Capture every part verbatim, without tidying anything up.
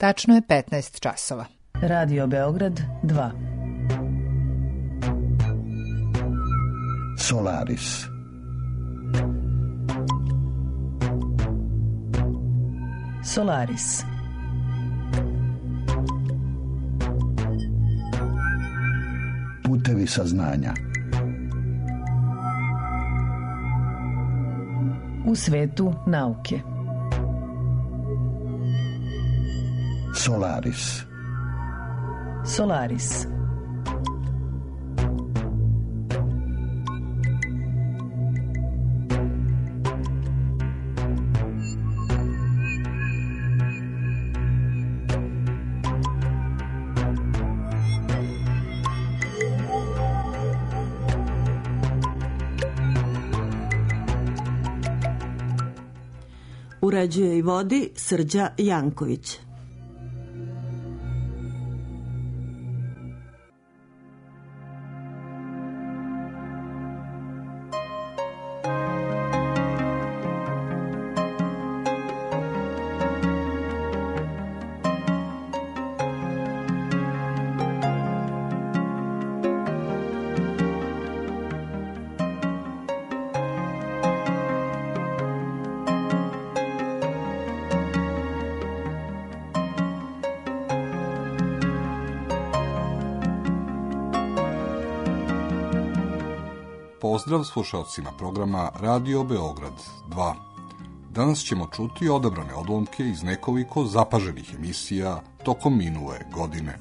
Tačno je petnaest časova. Radio Beograd dva. Solaris. Solaris. Putevi saznanja. U svetu nauke. Solaris. Solaris. Uređuje i vodi Srđa Janković. Pozdrav slušalcima programa Radio Beograd dva. Danas ćemo čuti odabrane odlomke iz nekoliko zapaženih emisija tokom minule godine.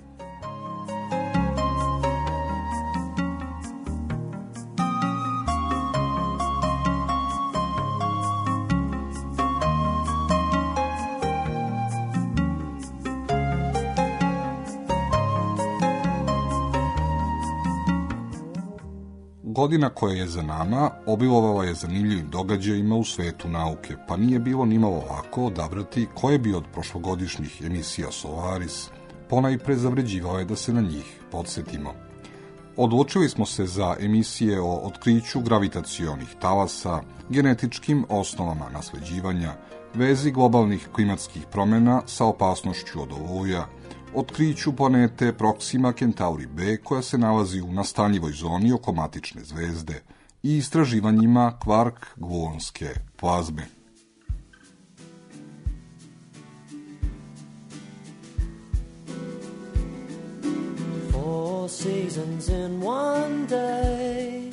Godina koja je za nama obilovala je zanimljivim događajima u svetu nauke, pa nije bilo nimalo lako odabrati koje bi od prošlogodišnjih emisija Solaris ponajpre zavređivale da se na njih podsjetimo. Odlučili smo se za emisije o otkriću gravitacionih talasa, genetičkim osnovama nasleđivanja, vezi globalnih klimatskih promjena sa opasnošću od oluja, otkriću planete Proxima Centauri B koja se nalazi u nastanjivoj zoni oko matične zvezde i istraživanjima kvark-gluonske plazme. Four seasons in one day,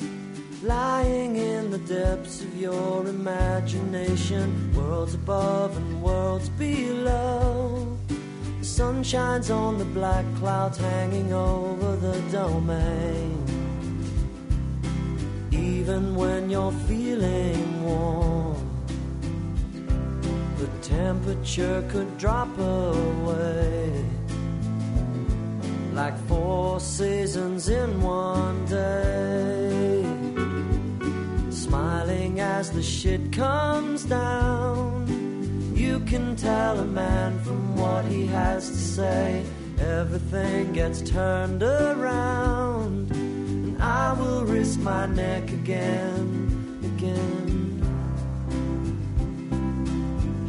lying in the depths of your imagination, worlds above and worlds below. The sun shines on the black clouds hanging over the domain. Even when you're feeling warm, the temperature could drop away. Like four seasons in one day, smiling as the shit comes down. You can tell a man from what he has to say. Everything gets turned around, and I will risk my neck again, again.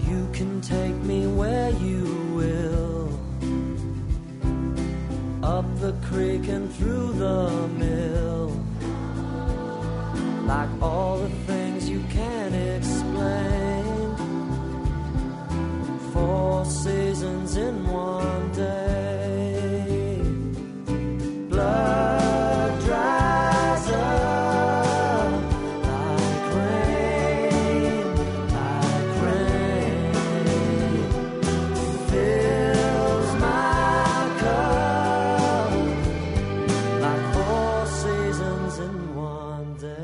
You can take me where you will, up the creek and through the mill, like all the things you can't explain. Four seasons in one day. Blood dries up like rain, like rain. Fills my cup like four seasons in one day.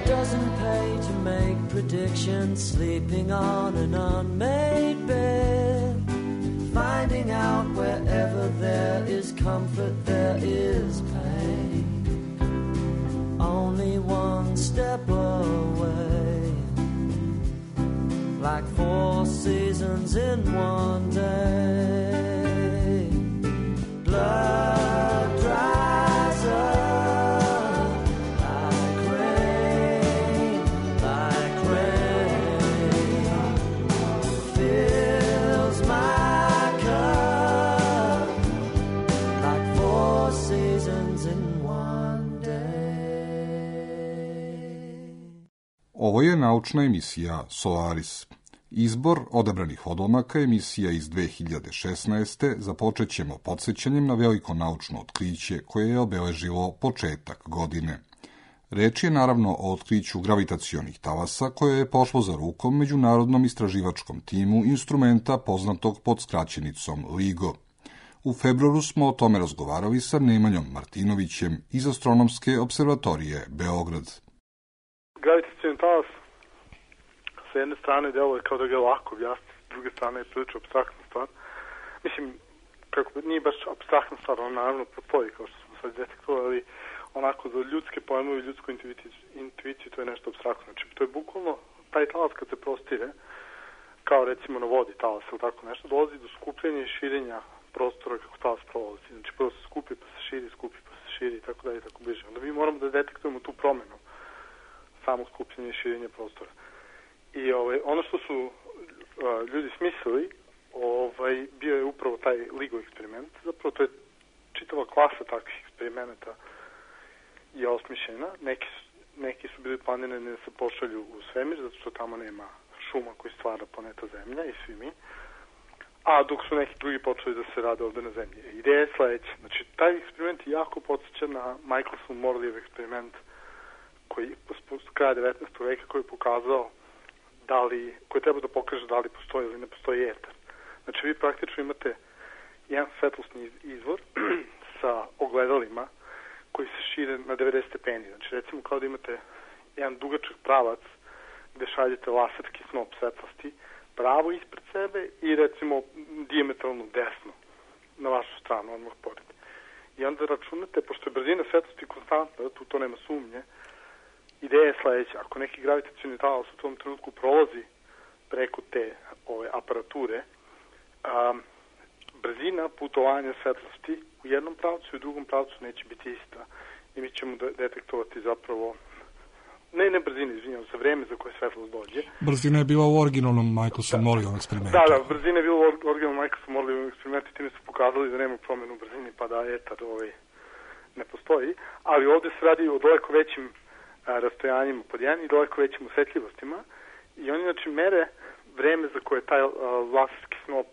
Doesn't pay to make predictions, sleeping on an unmade bed, finding out wherever there is comfort there is pain, only one step away, like four seasons in one day. Ovo je naučna emisija Solaris. Izbor odabranih odlomaka emisija iz dve hiljade šesnaeste započet ćemo podsjećanjem na veliko naučno otkriće koje je obeležilo početak godine. Reč je naravno o otkriću gravitacionih talasa koje je pošlo za rukom međunarodnom istraživačkom timu instrumenta poznatog pod skraćenicom LIGO. U februaru smo o tome razgovarali sa Nemanjom Martinovićem iz Astronomske observatorije Beograd. Gravitacioni talas sa jedne strane deluje kao da ga je lako objasniti, s druge strane je prilično apstraktna stvar. Mislim, kako nije baš apstraktna stvar, on naravno postoji, kao što smo sad detektovali, ali onako za ljudske pojmove i ljudsku intuiciju, intuiciju to je nešto apstraktno. Znači, to je bukvalno, taj talas kad se prostire, kao recimo na vodi talas ili tako nešto, dolazi do skupljenja i širenja prostora kako talas prolazi. Znači, prvo se skupi, pa se širi, skupi, pa se širi i tako dalje i tako bliže. Onda mi moramo da detektujemo tu promenu, samo skupljenje i širenje prostora. I ovaj, ono što su uh, ljudi smislili, ovaj, bio je upravo taj LIGO eksperiment. Zapravo to je čitava klasa takvih eksperimenta je osmišljena. Neki su, neki su bili planirani da se pošalju u svemir, zato što tamo nema šuma koji stvara planeta Zemlja i svi mi. A dok su neki drugi počeli da se rade ovde na Zemlji. Ideja je sledeća. Znači, taj eksperiment jako podsjeća na Michelson Morleyjev eksperiment koji s kraja devetnaestog veka koji je pokazao da li, koji treba da pokaže da li postoji ili ne postoji etar. Znači, vi praktično imate jedan svetlosni izvor sa ogledalima koji se šire na devedeset stepeni. Znači, recimo kao da imate jedan dugačak pravac gde šaljete laserski snop svetlosti pravo ispred sebe i recimo dijametralno desno na vašu stranu, odmah pored. I onda računate, pošto je brzina svetlosti konstantna, tu to nema sumnje, ideja je sledeća. Ako neki gravitacioni talas u tom trenutku prolazi preko te ove aparature, a, brzina putovanja svetlosti u jednom pravcu i u drugom pravcu neće biti ista. I mi ćemo detektovati zapravo, ne ne brzina, izvinjam, za vreme za koje svetlost dođe. Brzina je bila u originalnom Michelson-Morleyjevom eksperimentu. Da, da, brzina je bila u originalnom Michelson-Morleyjevom eksperimentu i time su pokazali da nema promenu u brzini, pa da etar ovaj, ne postoji. Ali ovde se radi o daleko većim a, rastojanjima pod jedan i daleko većim osetljivostima. I oni znači mere vreme za koje taj a, laserski snop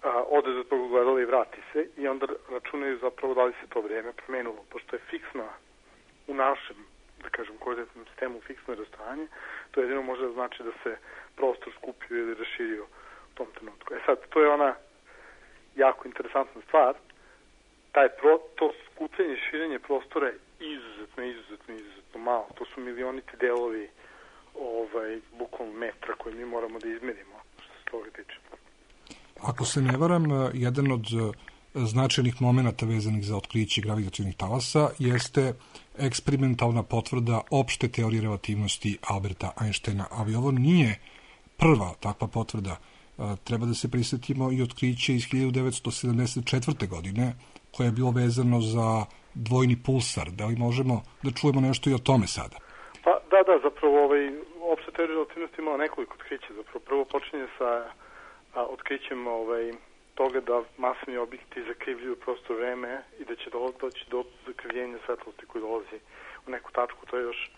a, ode do tog ogledala i vrati se i onda računaju zapravo da li se to vreme promenilo. Pošto je fiksna u našem, da kažem, koordinatnom sistemu fiksno rastojanje, to jedino može da znači da se prostor skupio ili raširio u tom trenutku. E sad, to je ona jako interesantna stvar. Taj pro, to skupljanje i širenje prostora je izuzetno, izuzetno, izuzetno malo. To su milioniti delovi ovaj, bukvalno metra koje mi moramo da izmerimo, što se toga tiče. Ako se ne varam, jedan od značajnih momenata vezanih za otkriće gravitacionih talasa jeste eksperimentalna potvrda opšte teorije relativnosti Alberta Einsteina, ali ovo nije prva takva potvrda. Treba da se prisjetimo i otkriće iz hiljadu devetsto sedamdeset četvrte. godine, koje je bilo vezano za dvojni pulsar. Da li možemo da čujemo nešto i o tome sada? Pa da, da, zapravo ovaj, opšta teorija relativnosti imala nekoliko otkrića. Zapravo prvo počinje sa a, otkrićem ovaj, toga da masni objekti zakrivljuju prostor vreme i da će doći do zakrivljenja svetlosti koji dolazi u neku tačku. To je još,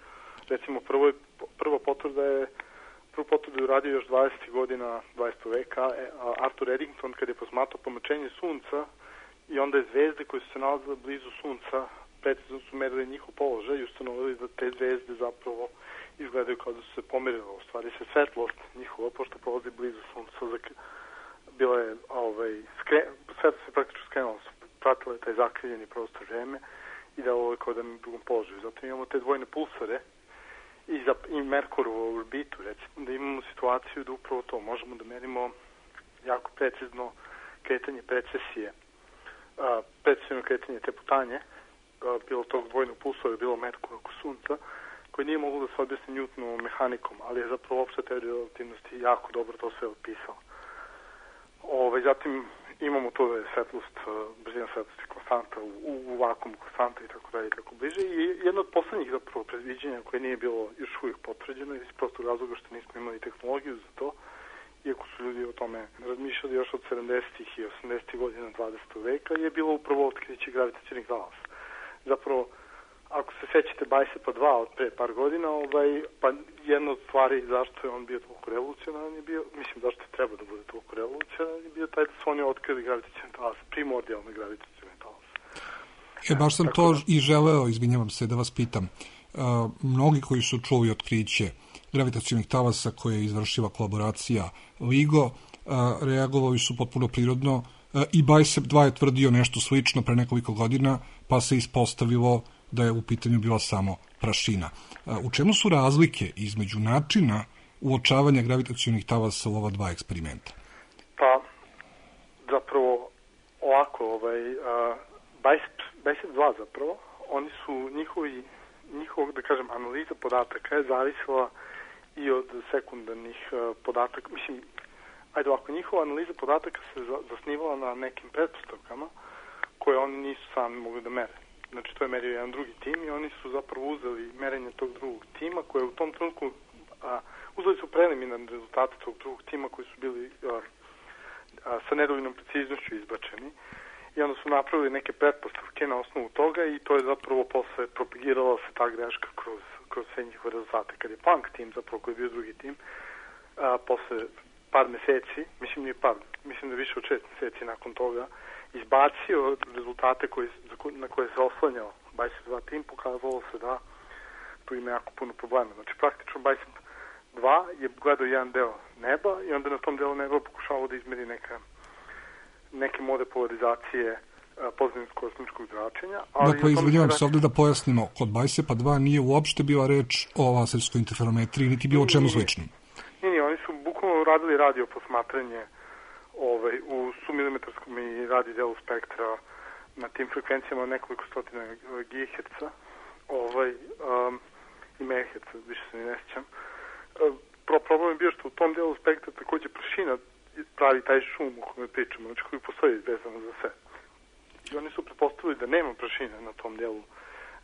recimo, prvo, prva potvrda je prvu potvrdu je uradio još dvadesetih godina dvadesetog veka Arthur Eddington kad je posmatrao pomračenje sunca i onda je zvezde koje su se nalazile blizu sunca precizno su merili njihov položaj i ustanovili da te zvezde zapravo izgledaju kao da su se pomerile. U stvari se svetlost njihova, pošto prolazi blizu sunca, bila je, ovaj, skre, svetlost se praktično skrenula, pratila je taj zakrivljeni prostor vreme i da ovo je kao da na drugom položaju. Zato imamo te dvojne pulsare i, za, i Merkurovu orbitu, recimo, da imamo situaciju da upravo to možemo da merimo jako precizno kretanje precesije, a, precizno kretanje te putanje, a, bilo tog dvojnog pulsora, bilo Merkura oko sunca, koji nije moglo da se objasni Newtonovom mehanikom, ali je zapravo opšta teorija relativnosti jako dobro to sve opisala. Ove, zatim imamo to da je svetlost, brzina svetlosti konstanta, u, u vakuumu konstanta i tako dalje i tako bliže. I jedno od poslednjih zapravo predviđenja koje nije bilo još uvijek potvrđeno iz prostog razloga što nismo imali tehnologiju za to, iako su ljudi o tome razmišljali još od sedamdesetih i osamdesetih godina dvadesetog veka, je bilo upravo otkriće gravitacionih talasa. Zapravo, ako se sećate Bicepa dva od pre par godina, ovaj, pa jedna od stvari zašto je on bio toliko revolucionaran je bio, mislim zašto je treba da bude toliko revolucionaran je bio taj da su oni otkrili gravitacioni talas, primordijalne gravitacioni talas. E, baš sam Tako to da... i želeo, izvinjavam se, da vas pitam. Uh, mnogi koji su čuli otkriće gravitacionih talasa koje je izvršila kolaboracija LIGO, uh, reagovali su potpuno prirodno uh, i Bicep dva je tvrdio nešto slično pre nekoliko godina, pa se ispostavilo da je u pitanju bila samo prašina. U čemu su razlike između načina uočavanja gravitacionih talasa u ova dva eksperimenta? Pa, zapravo, ovako, ovaj, Bicep dva zapravo, oni su njihovi, njihov, da kažem, analiza podataka je zavisila i od sekundarnih uh, podataka. Mislim, ajde ovako, njihova analiza podataka se zasnivala na nekim pretpostavkama koje oni nisu sami mogli da mere. Znači, to je merio jedan drugi tim i oni su zapravo uzeli merenje tog drugog tima koje u tom trenutku, a, uzeli su preliminarne rezultate tog drugog tima koji su bili a, a, sa nedovoljnom preciznošću izbačeni i onda su napravili neke pretpostavke na osnovu toga i to je zapravo posle propagirala se ta greška kroz, kroz sve njihove rezultate. Kad je Planck tim, zapravo koji je bio drugi tim, a, posle par meseci, mislim nije par, mislim da više od šest meseci nakon toga, izbacio rezultate koji, na koje se oslanjao Bicep dva tim, pokazalo se da tu ima jako puno problema. Znači, praktično Bicep dva je gledao jedan deo neba i onda na tom delu neba pokušavao da izmeri neka, neke mode polarizacije pozitivnog kosmičkog zračenja. Ali dakle, izvinjavam se ovde da pojasnimo, kod Bicepa dva nije uopšte bila reč o laserskoj interferometriji, niti bilo čemu sličnom. Nije, nije, oni su bukvalno radili radio posmatranje ovaj, u submilimetarskom i radi delu spektra na tim frekvencijama nekoliko stotina gigaherca ovaj, um, i megaherca, više se ni ne sjećam. Pro, problem je bio što u tom delu spektra takođe prašina pravi taj šum o kome pričamo, znači koji postoji vezano za sve. I oni su pretpostavili da nema prašine na tom delu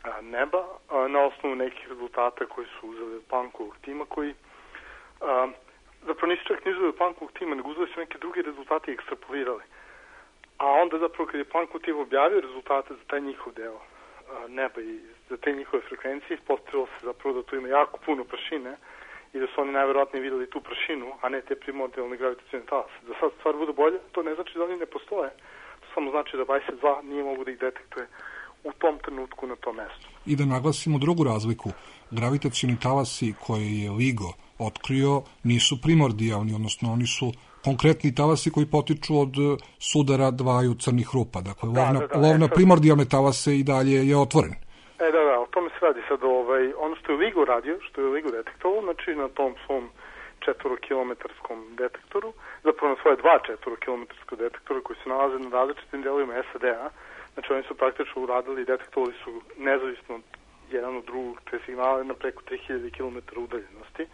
a, neba, a, na osnovu nekih rezultata koji su uzeli od Planckovog tima koji a, zapravo nisu čak nizali od Planckovog tima, nego uzeli su neke druge rezultate i ekstrapolirali. A onda zapravo kad je Planckov tim objavio rezultate za taj njihov deo a, neba i za te njihove frekvencije, ispostavilo se zapravo da tu ima jako puno prašine i da su oni najverovatnije videli tu prašinu, a ne te primordijalne gravitacione talase. Da sad stvar bude bolje, to ne znači da oni ne postoje. To samo znači da Bicep dva nije mogu da ih detektuje u tom trenutku na tom mestu. I da naglasimo drugu razliku. Gravitacioni talasi koje je LIGO otkrio nisu primordijalni, odnosno oni su konkretni talasi koji potiču od sudara dvaju crnih rupa. Dakle, da, lovna, da, da, lovna sad... primordijalne talase i dalje je otvoren. E, da, da, o tome se radi sad. Ovaj, ono što je LIGO radio, što je LIGO detektovalo, znači na tom svom četvorokilometarskom detektoru, zapravo na svoje dva četvorokilometarskom detektora koji se nalaze na različitim delovima S A D-a, znači oni su praktično uradili i detektovali su nezavisno jedan od drugog te signale na preko tri hiljade kilometara udaljenosti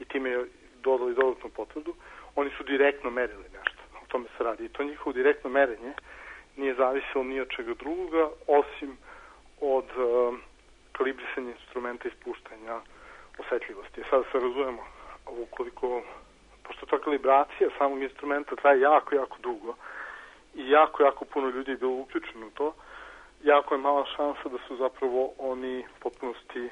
i time je dodali dodatnu potvrdu. Oni su direktno merili nešto, o tome se radi. I to njihovo direktno merenje nije zavisilo ni od čega drugoga, osim od uh, kalibrisanja instrumenta i spuštanja osetljivosti. Sada se razumemo, ukoliko, pošto ta kalibracija samog instrumenta traje jako, jako dugo i jako, jako puno ljudi je bilo uključeno u to, jako je mala šansa da su zapravo oni potpunosti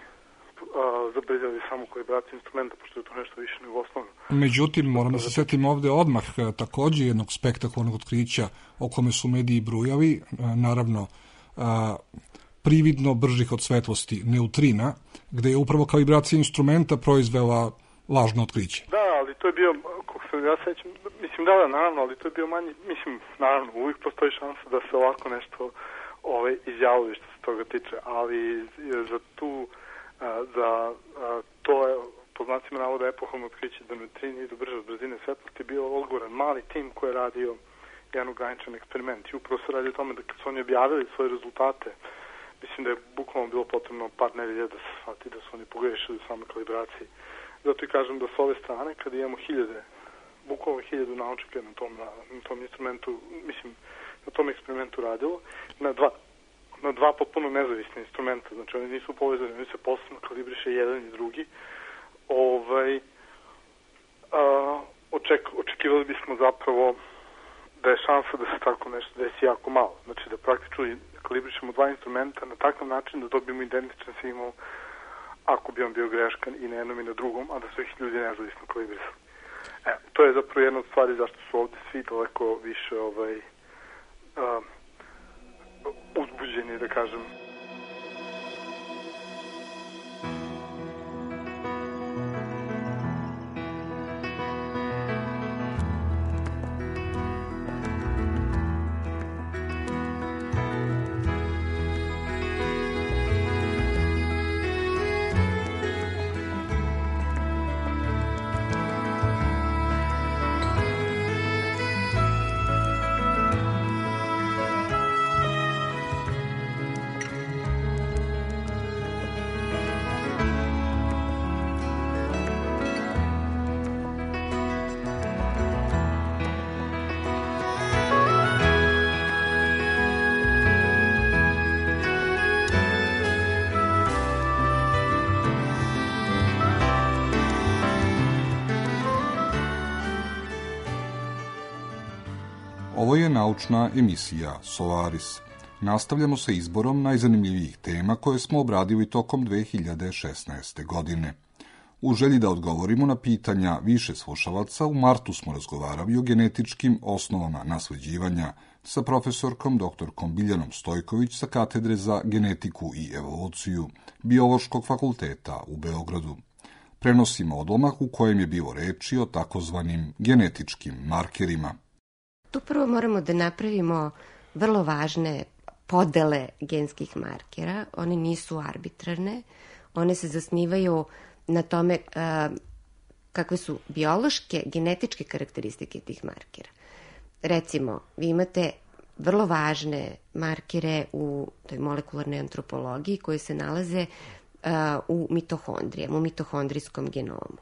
zabrzali samo kalibraciju instrumenta, pošto je to nešto više nego osnovno. Međutim, moram da se setim ovde odmah takođe jednog spektakularnog otkrića o kome su mediji brujali, naravno prividno bržih od svetlosti neutrina, gde je upravo kalibracija instrumenta proizvela lažno otkriće. Da, ali to je bio, kako se ja sećam, mislim da, da, naravno, ali to je bio manji, mislim, naravno, uvijek postoji šansa da se ovako nešto ovaj, izjavili što se toga tiče, ali za tu, a, za a, to je, po znacima navoda, epohalno otkriće da neutrini idu brže od brzine svetlosti, bio odgovoran mali tim koji je radio jedan ograničen eksperiment. I upravo se radi o tome da kad su oni objavili svoje rezultate, mislim da je bukvalno bilo potrebno par nedelja da se shvati da su oni pogrešili u samoj kalibraciji. Zato i kažem da s ove strane, kada imamo hiljade, bukvalno hiljadu naučnika na tom, na, na tom instrumentu, mislim, na tom eksperimentu radilo, na dva, na dva potpuno nezavisne instrumenta, znači oni nisu povezani, oni se posebno kalibriše jedan i drugi, ovaj, a, oček, očekivali bismo zapravo da je šansa da se tako nešto desi jako malo. Znači da praktično kalibrišemo dva instrumenta na takav način da dobijemo identičan signal ako bi on bio greškan i na jednom i na drugom, a da su ih ljudi nezavisno kalibrisali. E, to je zapravo jedna od stvari zašto su ovde svi daleko više ovaj, uh, uzbuđeni, da kažem. Ovo je naučna emisija Solaris. Nastavljamo sa izborom najzanimljivijih tema koje smo obradili tokom dve hiljade šesnaeste. godine. U želji da odgovorimo na pitanja više slušalaca, u martu smo razgovarali o genetičkim osnovama nasleđivanja sa profesorkom doktorkom Biljanom Stojković sa katedre za genetiku i evoluciju Biološkog fakulteta u Beogradu. Prenosimo odlomak u kojem je bilo reči o takozvanim genetičkim markerima. Tu prvo moramo da napravimo vrlo važne podele genskih markera. One nisu arbitrarne, one se zasnivaju na tome a, kakve su biološke, genetičke karakteristike tih markera. Recimo, vi imate vrlo važne markere u toj molekularnoj antropologiji koji se nalaze a, u mitohondrijama, u mitohondrijskom genomu.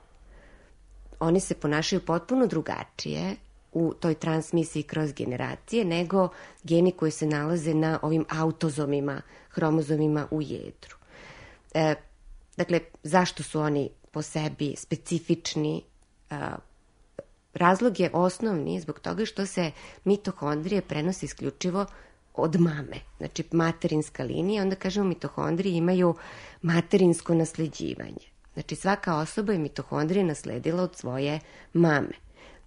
Oni se ponašaju potpuno drugačije u toj transmisiji kroz generacije, nego geni koji se nalaze na ovim autozomima, hromozomima u jedru. E, dakle, zašto su oni po sebi specifični? E, razlog je osnovni zbog toga što se mitohondrije prenose isključivo od mame, znači materinska linija, onda kažemo mitohondrije imaju materinsko nasleđivanje. Znači svaka osoba je mitohondrije nasledila od svoje mame.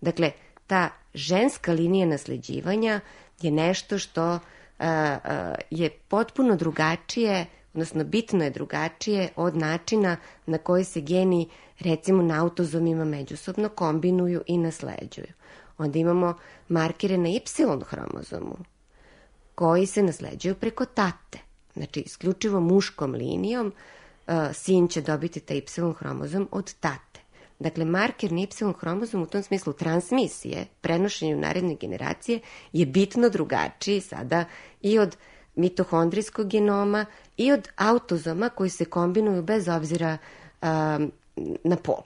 Dakle, ta ženska linija nasleđivanja je nešto što a, a, je potpuno drugačije, odnosno bitno je drugačije od načina na koji se geni, recimo na autozomima, međusobno kombinuju i nasleđuju. Onda imamo markere na Y hromozomu koji se nasleđuju preko tate. Znači, isključivo muškom linijom a, sin će dobiti taj Y hromozom od tate. Dakle, marker na Y hromozomu u tom smislu transmisije, prenošenju naredne generacije, je bitno drugačiji sada i od mitohondrijskog genoma i od autozoma koji se kombinuju bez obzira um, na pol.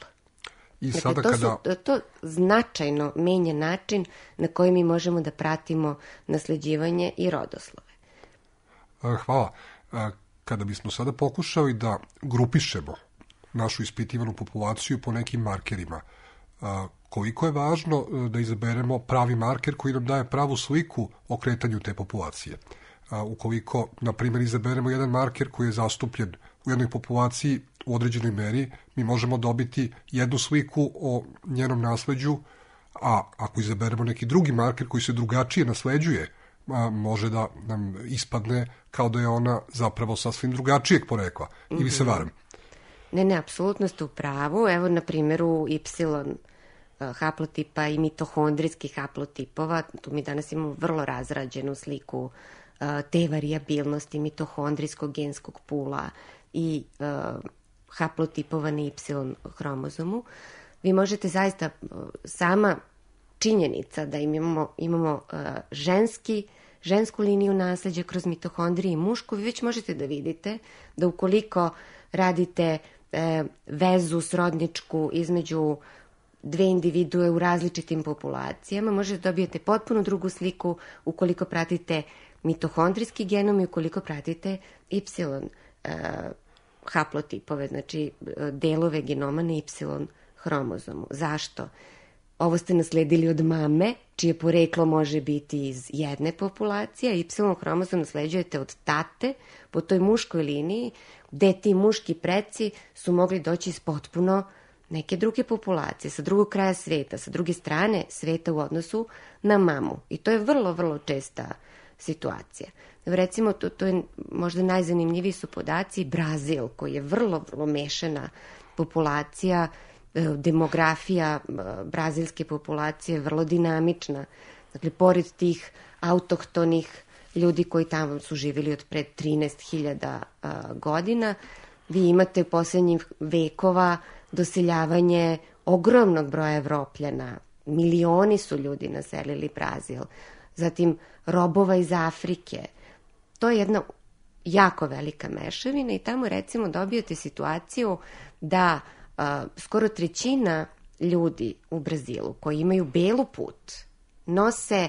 I dakle, sada to, kada... su, to značajno menja način na koji mi možemo da pratimo nasleđivanje i rodoslove. Hvala. Kada bismo sada pokušali da grupišemo našu ispitivanu populaciju po nekim markerima, koliko je važno da izaberemo pravi marker koji nam daje pravu sliku o kretanju te populacije. Ukoliko, na primjer, izaberemo jedan marker koji je zastupljen u jednoj populaciji u određenoj meri, mi možemo dobiti jednu sliku o njenom nasleđu, a ako izaberemo neki drugi marker koji se drugačije nasleđuje, može da nam ispadne kao da je ona zapravo sasvim drugačijeg porekla. Mm-hmm. Ili se varam? Ne, ne, apsolutno ste u pravu. Evo, na primjeru Y haplotipa i mitohondrijskih haplotipova, tu mi danas imamo vrlo razrađenu sliku te varijabilnosti mitohondrijskog genskog pula i uh, haplotipova na Y hromozomu. Vi možete zaista, sama činjenica da imamo, imamo uh, ženski, žensku liniju nasleđa kroz mitohondrije i mušku, vi već možete da vidite da ukoliko radite e, vezu srodničku između dve individue u različitim populacijama, možete da dobijete potpuno drugu sliku ukoliko pratite mitohondrijski genom i ukoliko pratite Y e, haplotipove, znači delove genoma na Y hromozomu. Zašto? ovo ste nasledili od mame, čije poreklo može biti iz jedne populacije, a Y hromozom nasleđujete od tate po toj muškoj liniji, gde ti muški preci su mogli doći iz potpuno neke druge populacije, sa drugog kraja sveta, sa druge strane sveta u odnosu na mamu. I to je vrlo, vrlo česta situacija. Recimo, to, to je možda najzanimljiviji su podaci Brazil, koji je vrlo, vrlo mešana populacija, demografija brazilske populacije je vrlo dinamična. Dakle, pored tih autohtonih ljudi koji tamo su živjeli od pred trinaest hiljada godina, vi imate u posljednjih vekova doseljavanje ogromnog broja Evropljana. Milioni su ljudi naselili Brazil. Zatim robova iz Afrike. To je jedna jako velika mešavina i tamo recimo dobijate situaciju da a, skoro trećina ljudi u Brazilu koji imaju belu put nose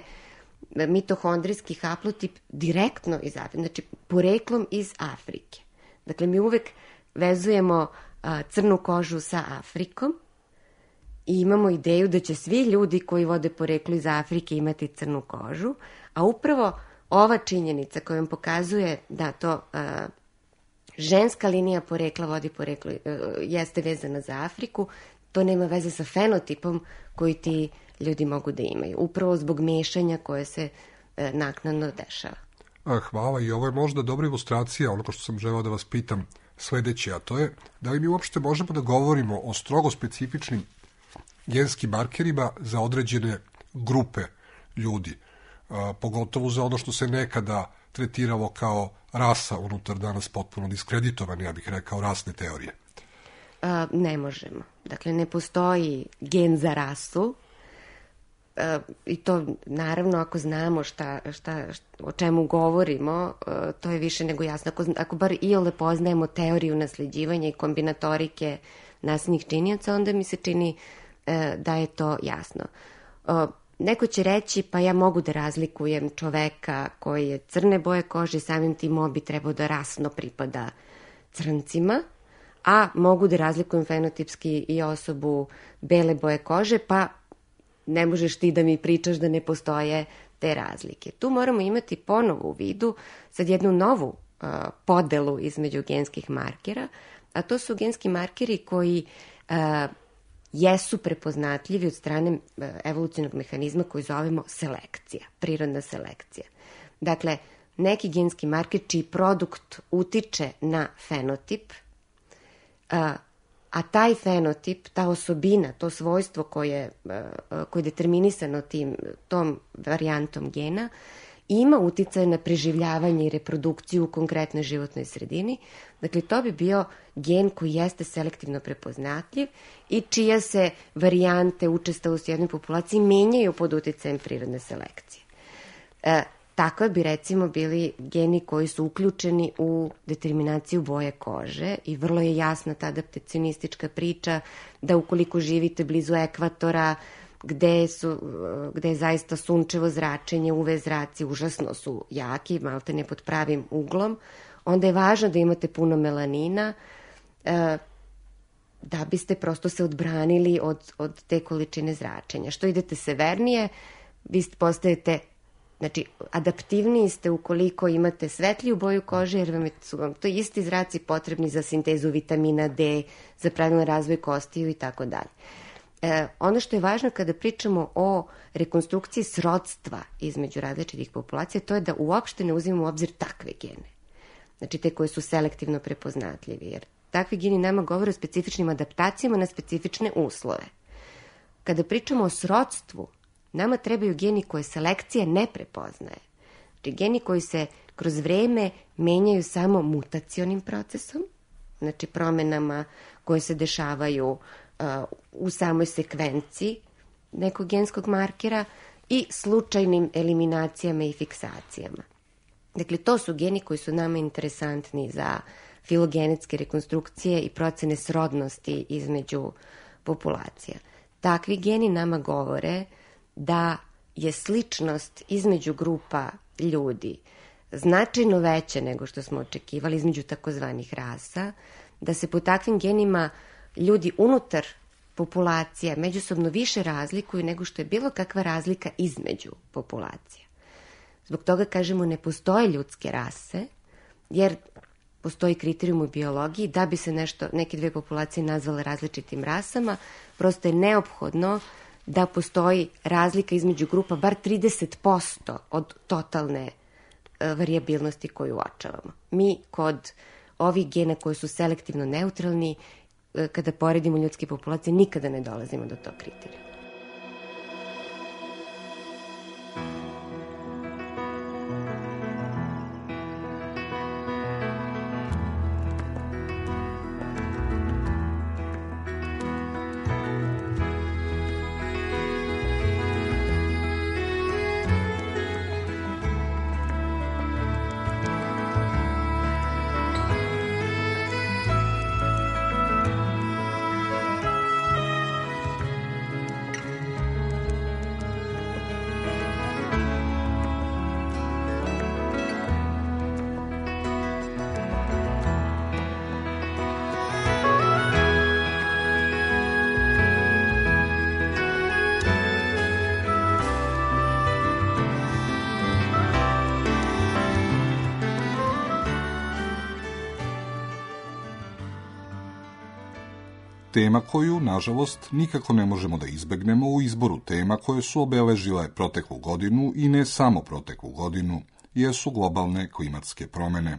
mitohondrijski haplotip direktno iz Afrike, znači poreklom iz Afrike. Dakle, mi uvek vezujemo a, crnu kožu sa Afrikom i imamo ideju da će svi ljudi koji vode poreklo iz Afrike imati crnu kožu, a upravo ova činjenica koja vam pokazuje da to a, ženska linija porekla vodi poreklo, a, jeste vezana za Afriku, to nema veze sa fenotipom koji ti ljudi mogu da imaju, upravo zbog mešanja koje se a, naknadno dešava. Hvala, i ovo je možda dobra ilustracija onoga što sam želeo da vas pitam sledeće, a to je da li mi uopšte možemo da govorimo o strogo specifičnim genskim markerima za određene grupe ljudi, a, pogotovo za ono što se nekada tretiralo kao rasa unutar danas potpuno diskreditovane, ja bih rekao, rasne teorije. A, ne možemo. Dakle, ne postoji gen za rasu, a, i to naravno ako znamo šta, šta, šta, o čemu govorimo, a, to je više nego jasno. Ako, ako bar iole poznajemo teoriju nasleđivanja i kombinatorike nasljednih činioca, onda mi se čini da je to jasno. Neko će reći, pa ja mogu da razlikujem čoveka koji je crne boje kože, samim tim on bi trebao da rasno pripada crncima, a mogu da razlikujem fenotipski i osobu bele boje kože, pa ne možeš ti da mi pričaš da ne postoje te razlike. Tu moramo imati ponovo u vidu sad jednu novu uh, podelu između genskih markera, a to su genski markeri koji uh, jesu prepoznatljivi od strane evolucionog mehanizma koji zovemo selekcija, prirodna selekcija. Dakle, neki genski marker čiji produkt utiče na fenotip, a, a taj fenotip, ta osobina, to svojstvo koje, koje je determinisano tim, tom varijantom gena, ima uticaj na preživljavanje i reprodukciju u konkretnoj životnoj sredini. Dakle, to bi bio gen koji jeste selektivno prepoznatljiv i čija se varijante učestalosti u jednoj populaciji menjaju pod uticajem prirodne selekcije. E, tako bi recimo bili geni koji su uključeni u determinaciju boje kože i vrlo je jasna ta adaptacionistička priča da ukoliko živite blizu ekvatora, gde, su, gde je zaista sunčevo zračenje, U V zraci užasno su jaki, malte ne pod pravim uglom, onda je važno da imate puno melanina e, da biste prosto se odbranili od, od te količine zračenja. Što idete severnije, vi postajete, znači, adaptivniji ste ukoliko imate svetliju boju kože, jer vam su vam to isti zraci potrebni za sintezu vitamina D, za pravilan razvoj kostiju i tako dalje. E, ono što je važno kada pričamo o rekonstrukciji srodstva između različitih populacija, to je da uopšte ne uzimamo u obzir takve gene. Znači te koje su selektivno prepoznatljivi, jer takvi geni nama govore o specifičnim adaptacijama na specifične uslove. Kada pričamo o srodstvu, nama trebaju geni koje selekcija ne prepoznaje. Znači geni koji se kroz vreme menjaju samo mutacionim procesom, znači promenama koje se dešavaju u samoj sekvenciji nekog genskog markera i slučajnim eliminacijama i fiksacijama. Dakle, to su geni koji su nama interesantni za filogenetske rekonstrukcije i procene srodnosti između populacija. Takvi geni nama govore da je sličnost između grupa ljudi značajno veća nego što smo očekivali između takozvanih rasa, da se po takvim genima ljudi unutar populacija međusobno više razlikuju nego što je bilo kakva razlika između populacija. Zbog toga kažemo ne postoje ljudske rase, jer postoji kriterijum u biologiji da bi se nešto, neke dve populacije nazvale različitim rasama, prosto je neophodno da postoji razlika između grupa bar trideset posto od totalne e, varijabilnosti koju uočavamo. Mi kod ovih gena koji su selektivno neutralni, e, kada poredimo ljudske populacije, nikada ne dolazimo do tog kriterija. Tema koju, nažalost, nikako ne možemo da izbegnemo u izboru tema koje su obeležile proteklu godinu i ne samo proteklu godinu, jesu globalne klimatske promene.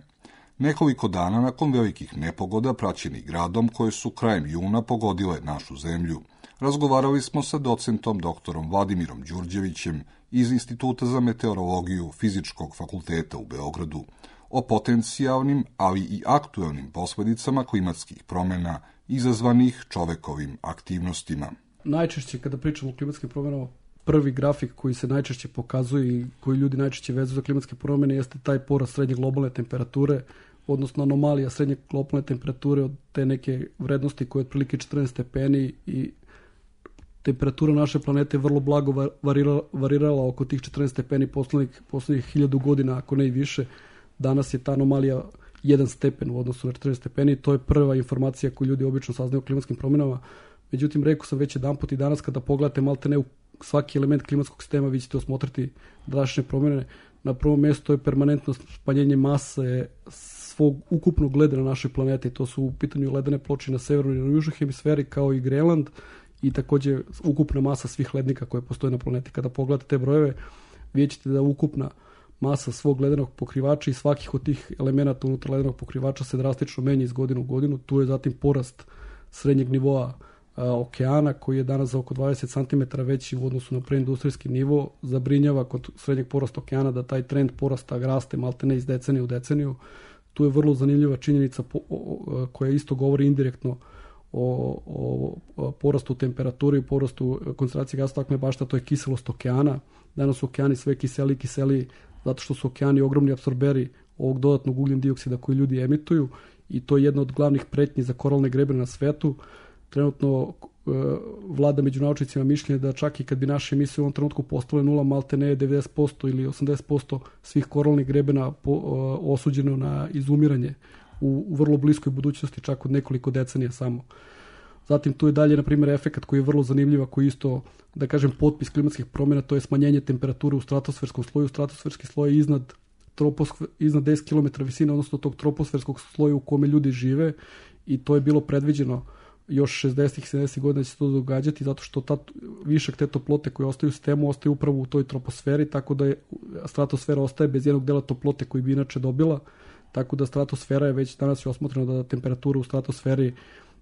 Nekoliko dana nakon velikih nepogoda praćenih gradom koje su krajem juna pogodile našu zemlju, razgovarali smo sa docentom doktorom Vladimirom Đurđevićem iz Instituta za meteorologiju Fizičkog fakulteta u Beogradu o potencijalnim, ali i aktuelnim posledicama klimatskih promena izazvanih čovekovim aktivnostima. Najčešće kada pričamo o klimatskim promjenama, prvi grafik koji se najčešće pokazuje i koji ljudi najčešće vezuju za klimatske promjene jeste taj porast srednje globalne temperature, odnosno anomalija srednje globalne temperature od te neke vrednosti koje je otprilike četrnaest stepeni i temperatura naše planete vrlo blago varirala, varirala oko tih četrnaest stepeni poslednjih, poslednjih hiljadu godina, ako ne i više. Danas je ta anomalija jedan stepen u odnosu na četrnaest stepeni. To je prva informacija koju ljudi obično saznaju o klimatskim promjenama. Međutim, rekao sam već jedan put i danas kada pogledate malte ne u svaki element klimatskog sistema, vi ćete osmotriti današnje promjene. Na prvom mjestu je permanentno smanjenje mase svog ukupnog leda na našoj planeti. To su u pitanju ledene ploče na severnoj i na južnoj hemisferi, kao i Grenland, i također ukupna masa svih lednika koje postoje na planeti. Kada pogledate te brojeve, vidjet ćete da ukupna masa svog ledenog pokrivača i svakih od tih elemenata unutar ledenog pokrivača se drastično menja iz godine u godinu. Tu je zatim porast srednjeg nivoa a, okeana, koji je danas za oko dvadeset centimetara veći u odnosu na preindustrijski nivo. Zabrinjava kod srednjeg porasta okeana da taj trend porasta raste maltene iz decenije u deceniju. Tu je vrlo zanimljiva činjenica po, o, koja isto govori indirektno o, o, o porastu temperature i porastu koncentracije gasa staklene bašte, to je kiselost okeana. Danas su okeani sve kiseli i kiseli zato što su okeani ogromni apsorberi ovog dodatnog ugljen dioksida koji ljudi emituju, i to je jedna od glavnih pretnji za koralne grebene na svetu. Trenutno e, vlada među naučnicima mišljenje da čak i kad bi naše emisije u ovom trenutku postale nula, malte ne devedeset posto ili osamdeset posto svih koralnih grebena po, e, osuđeno na izumiranje u, u vrlo bliskoj budućnosti, čak od nekoliko decenija samo. Zatim tu je dalje, na primjer, efekat koji je vrlo zanimljiv, koji isto, da kažem, potpis klimatskih promjena, to je smanjenje temperature u stratosferskom sloju. Stratosferski sloj je iznad, troposk- iznad deset kilometara visine, odnosno tog troposferskog sloja u kome ljudi žive, i to je bilo predviđeno još šezdesetih i sedamdesetih godina da će se to događati, zato što ta, višak te toplote koje ostaju u sistemu ostaje upravo u toj troposferi, tako da je stratosfera ostaje bez jednog dela toplote koji bi inače dobila, tako da stratosfera je već danas je osmotreno da temperatura u stratosferi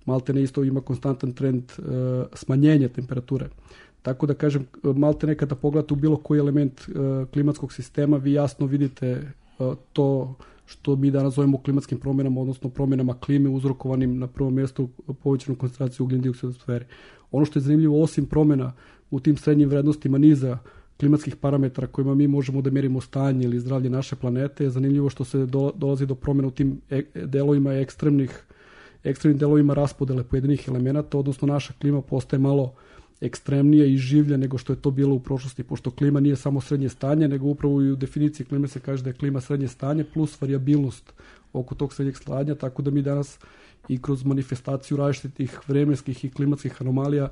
malte ne isto ima konstantan trend e, smanjenja temperature. Tako da kažem, malte ne kada pogledate u bilo koji element e, klimatskog sistema, vi jasno vidite e, to što mi danas zovemo klimatskim promjenama, odnosno promjenama klime uzrokovanim na prvom mjestu povećanom koncentraciju ugljen dioksida u atmosferi. Ono što je zanimljivo, osim promjena u tim srednjim vrednostima niza klimatskih parametara kojima mi možemo da mjerimo stanje ili zdravlje naše planete, je zanimljivo što se do, dolazi do promjena u tim e, delovima ekstremnih ekstremnim delovima raspodele pojedinih elemenata, odnosno naša klima postaje malo ekstremnija i življa nego što je to bilo u prošlosti, pošto klima nije samo srednje stanje, nego upravo i u definiciji klime se kaže da je klima srednje stanje plus varijabilnost oko tog srednjeg stanja, tako da mi danas i kroz manifestaciju različitih vremenskih i klimatskih anomalija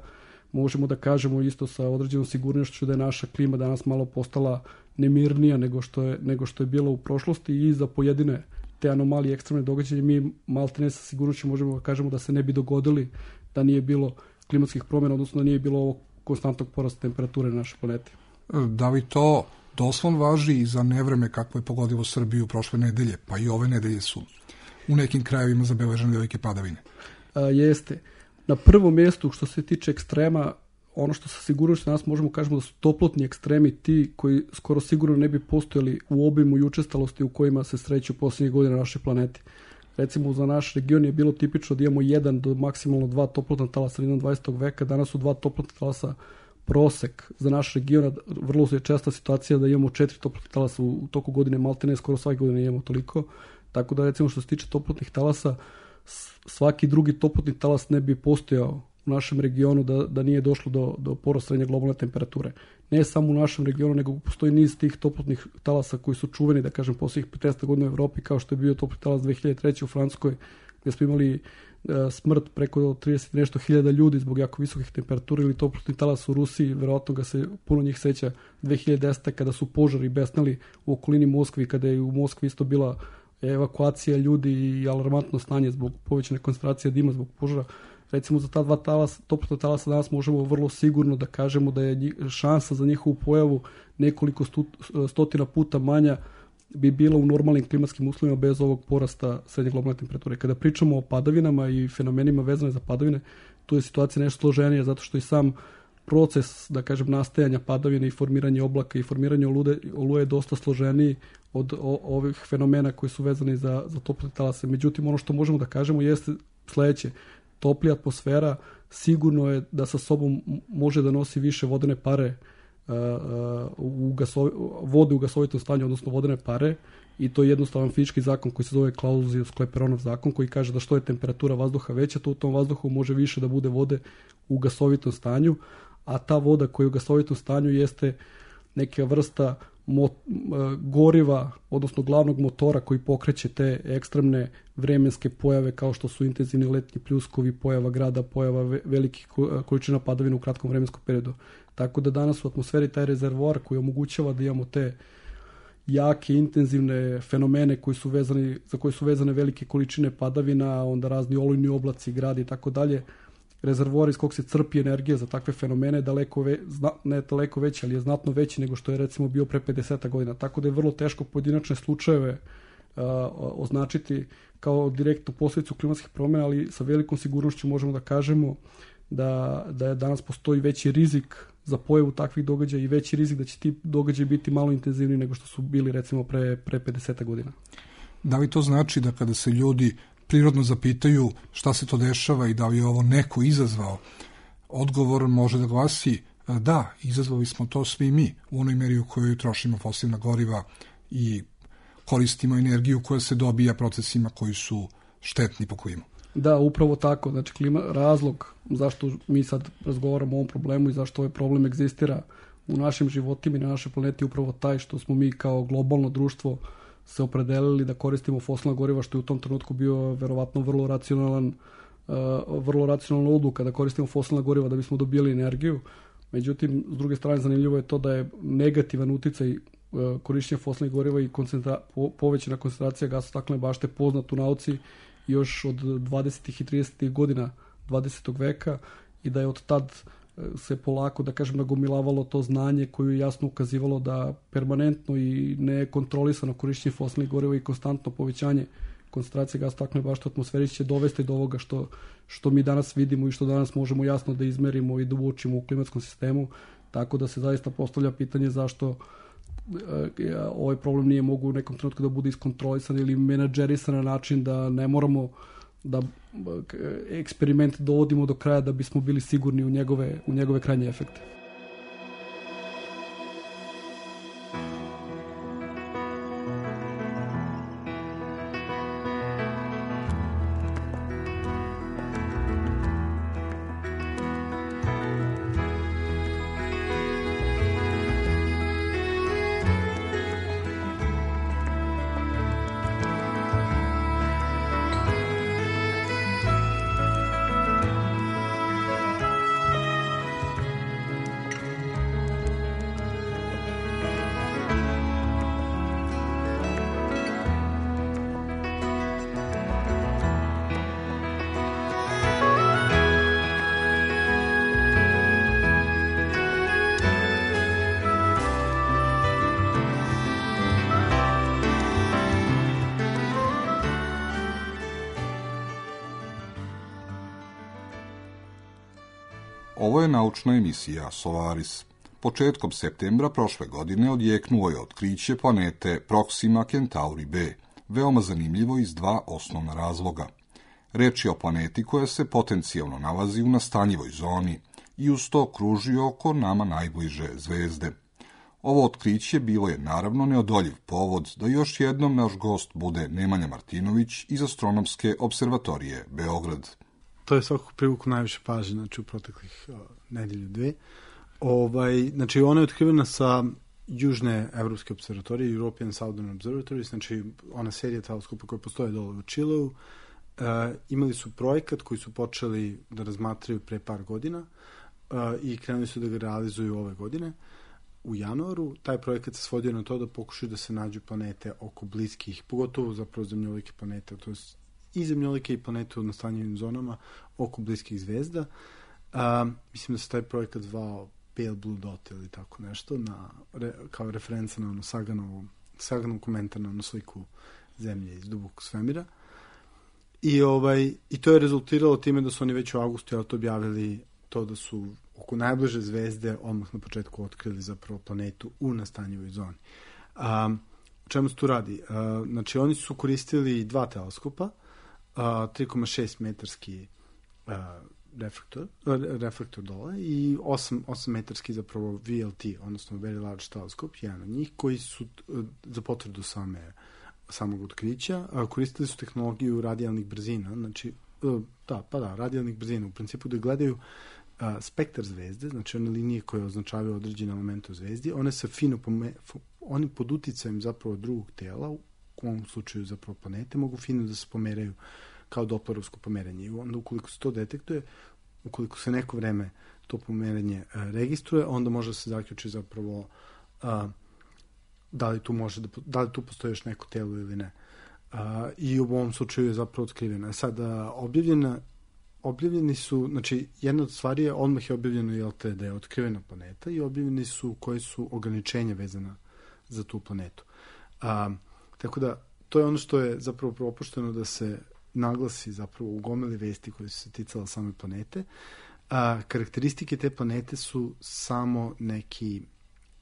možemo da kažemo isto sa određenom sigurnošću da je naša klima danas malo postala nemirnija nego što je, nego što je bilo u prošlosti i za pojedine te anomalije, ekstremne događaje, mi maltene sa sigurnošću možemo da kažemo da se ne bi dogodili da nije bilo klimatskih promjena, odnosno da nije bilo ovog konstantnog porasta temperature na našoj planeti. Da li to doslovno važi i za nevreme kako je pogodilo Srbiju prošle nedelje, pa i ove nedelje su u nekim krajevima zabeležene velike padavine? A, jeste. Na prvom mjestu što se tiče ekstrema, ono što sa sigurnošću danas možemo kažemo da su toplotni ekstremi ti koji skoro sigurno ne bi postojali u obimu i učestalosti u kojima se sreću posljednjih godina na našoj planeti. Recimo za naš region je bilo tipično da imamo jedan do maksimalno dva toplotna talasa sredinom dvadesetog veka, danas su dva toplotna talasa prosek za naš region. Vrlo je česta situacija da imamo četiri toplotna talasa u toku godine, maltene skoro svake godine imamo toliko. Tako da recimo što se tiče toplotnih talasa, svaki drugi toplotni talas ne bi postojao u našem regionu da, da nije došlo do, do porasta srednje globalne temperature. Ne samo u našem regionu, nego postoji niz tih toplotnih talasa koji su čuveni, da kažem, posljednjih petnaest godina u Evropi, kao što je bio toplotni talas dve hiljade treće u Francuskoj, gdje smo imali uh, smrt preko trideset nešto hiljada ljudi zbog jako visokih temperatura, ili toplotni talas u Rusiji, verovatno ga se puno njih seća dve hiljade desete kada su požari besnali u okolini Moskvi, kada je u Moskvi isto bila evakuacija ljudi i alarmantno stanje zbog povećane koncentracije dima zbog požara. Recimo za ta dva talasa, toplotna talasa danas možemo vrlo sigurno da kažemo da je šansa za njihovu pojavu nekoliko stu, stotina puta manja bi bila u normalnim klimatskim uslovima bez ovog porasta srednje globalne temperature. Kada pričamo o padavinama i fenomenima vezane za padavine, tu je situacija nešto složenija zato što i sam proces, da kažem, nastajanja padavine i formiranje oblaka i formiranje olude, oluje je dosta složeniji od o, ovih fenomena koji su vezani za, za toplotne talase. Međutim, ono što možemo da kažemo jeste sledeće. Toplija atmosfera sigurno je da sa sobom može da nosi više vodene pare, uh, u gasovi, vode u gasovitom stanju, odnosno vodene pare, i to je jednostavan fizički zakon koji se zove Clausius-Clapeyronov zakon, koji kaže da što je temperatura vazduha veća, to u tom vazduhu može više da bude vode u gasovitom stanju, a ta voda koja je u gasovitom stanju jeste neka vrsta Mot, goriva, odnosno glavnog motora koji pokreće te ekstremne vremenske pojave kao što su intenzivni letnji pljuskovi, pojava grada, pojava velikih količina padavina u kratkom vremenskom periodu. Tako da danas u atmosferi taj rezervoar koji omogućava da imamo te jake, intenzivne fenomene koji su vezani, za koje su vezane velike količine padavina, onda razni olujni oblaci, gradi i tako dalje. Rezervoar iz kog se crpi energija za takve fenomene daleko ve, zna, ne daleko veći, ali je znatno veći nego što je recimo bio pre pedeset godina. Tako da je vrlo teško pojedinačne slučajeve uh, označiti kao direktnu posljedicu klimatskih promjena, ali sa velikom sigurnošću možemo da kažemo da, da je danas postoji veći rizik za pojavu takvih događaja i veći rizik da će ti događaji biti malo intenzivniji nego što su bili recimo pre, pre pedeset godina. Da li to znači da kada se ljudi prirodno zapitaju šta se to dešava i da li je ovo neko izazvao, odgovor može da glasi da, izazvali smo to svi mi u onoj meri u kojoj trošimo fosilna goriva i koristimo energiju koja se dobija procesima koji su štetni po klimu. Da, upravo tako. Znači, klima, razlog zašto mi sad razgovaramo o ovom problemu i zašto ovaj problem egzistira u našim životima i na našoj planeti je upravo taj što smo mi kao globalno društvo se opredelili da koristimo fosilna goriva, što je u tom trenutku bio verovatno vrlo racionalan, uh, vrlo racionalna odluka da koristimo fosilna goriva da bismo dobili energiju. Međutim, s druge strane, zanimljivo je to da je negativan uticaj uh, korišćenja fosilnih goriva i koncentra, po, povećana koncentracija gasa staklene bašte poznat u nauci još od dvadesetih i tridesetih godina dvadesetog veka i da je od tad se polako, da kažem, nagomilavalo to znanje koje je jasno ukazivalo da permanentno i nekontrolisano korišćenje fosilnih goriva i konstantno povećanje koncentracije gasa staklene bašte u atmosferi će dovesti do ovoga što, što mi danas vidimo i što danas možemo jasno da izmerimo i da uočimo u klimatskom sistemu, tako da se zaista postavlja pitanje zašto e, ovaj problem nije mogu u nekom trenutku da bude iskontrolisan ili menadžerisan na način da ne moramo da eksperiment dovodimo do kraja da bismo bili sigurni u njegove, u njegove krajnje efekte. Ovo je naučna emisija Solaris. Početkom septembra prošle godine odjeknuo je otkriće planete Proxima Centauri B, veoma zanimljivo iz dva osnovna razloga. Reč je o planeti koja se potencijalno nalazi u nastanjivoj zoni i uz to kruži oko nama najbliže zvezde. Ovo otkriće bilo je naravno neodoljiv povod da još jednom naš gost bude Nemanja Martinović iz Astronomske observatorije Beograd. To je svakako privuklo najviše pažnje, znači u proteklih uh, nedelju dve. Ovaj, znači ona je otkrivena sa južne evropske observatorije, European Southern Observatories, znači ona serija teleskopa koja postoje dole u Čileu. Uh, imali su projekat koji su počeli da razmatraju pre par godina uh, i krenuli su da ga realizuju ove godine. U januaru taj projekat se svodio na to da pokušaju da se nađu planete oko bliskih, pogotovo zapravo zemljolike planete, to je i zemljolike i planete u nastanjivim zonama oko bliskih zvezda. Uh, mislim da se taj projekat zvao Pale Blue Dot ili tako nešto, na, re, kao referenca na ono Saganovu, Saganov komentar na ono sliku zemlje iz dubokog svemira. I, ovaj, I to je rezultiralo time da su oni već u avgustu to objavili to da su oko najbliže zvezde odmah na početku otkrili zapravo planetu u nastanjivoj zoni. Um, o čemu se tu radi? Uh, znači, oni su koristili dva teleskopa, uh, tri zarez šest metarski uh, reflektor, uh, reflektor dole i osam metarski zapravo V L T, odnosno Very Large Teleskop, jedan od njih, koji su uh, za potvrdu same, samog otkrića. Uh, koristili su tehnologiju radijalnih brzina, znači, uh, da, pa da, radijalnih brzina, u principu da gledaju Uh, spektar zvezde, znači one linije koje označavaju određene elemente u zvezdi, one se fino, pome, oni pod uticajem zapravo drugog tela, u ovom slučaju zapravo planete, mogu fino da se pomeraju kao doplerovsko pomeranje. I onda ukoliko se to detektuje, ukoliko se neko vreme to pomeranje uh, registruje, onda može da se zaključi zapravo uh, da li tu može da, da li tu postoji još neko telo ili ne. Uh, I u ovom slučaju je zapravo otkrivena. Sada, objavljena Objavljeni su, znači jedna od stvari je, odmah je objavljeno jel te, da je otkrivena planeta i objavljeni su koje su ograničenja vezana za tu planetu. A, tako da, to je ono što je zapravo propušteno da se naglasi zapravo u gomili vesti koje su se ticala same planete. A, karakteristike te planete su samo neki